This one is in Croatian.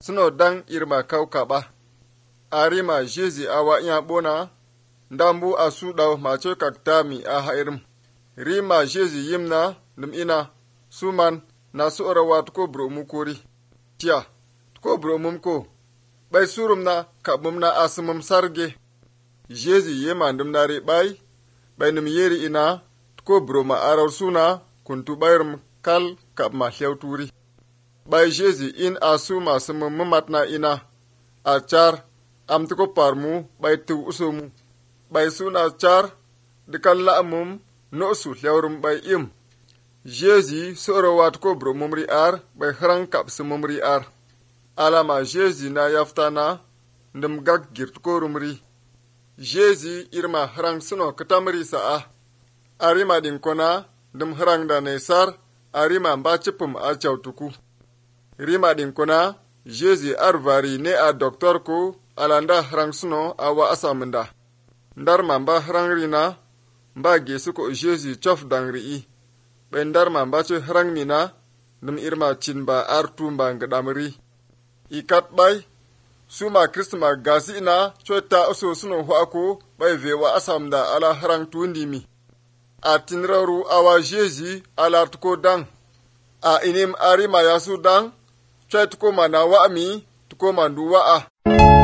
suno dang irma kaukaba. Arima Jezi awa iya bona, ndambu asu daw macho kaktami a hairim. Rima Jezi yimna num ina, suman na su'ura wa tuko bro mukuri. Tiya, tuko bro mumko, bai surum na kabum na asumum sarge. Jezi yema ndum nari bai num yeri ina, tuko bro ma arar suna, kuntu bayrum kal kab ma turi. Bai Jezi in asu masu mummatna ina, a char am tuko parmu bai tu usumu. Bai suna char dikan la'amum no su hlewrum bai im. Jezi soro wat ko bro mumri ar bai hrang kap mumri ar. Alama Jezi na yaftana ndum gag girt ko rumri. Jezi irma hrang suno katamri sa'a. Arima din kona ndum hrang da nesar arima mba chipum a chautuku. Rima din kona Jezi arvari ne a doktor ko alanda hrang suno awa asamunda. Ndar mamba hrang rina mba gesu ko Jezi chof dangri. Bendar mamba che hrang nina num irma chinba artu mba ngadamri. Ikat bay suma Kristma gasi ina chota oso suno huako bay vewa asamda ala hrang tundimi. A tinraru awa Jezi ala tuko dang. A inim arima yasu dang chay tuko mana wa'ami tuko mandu wa'a.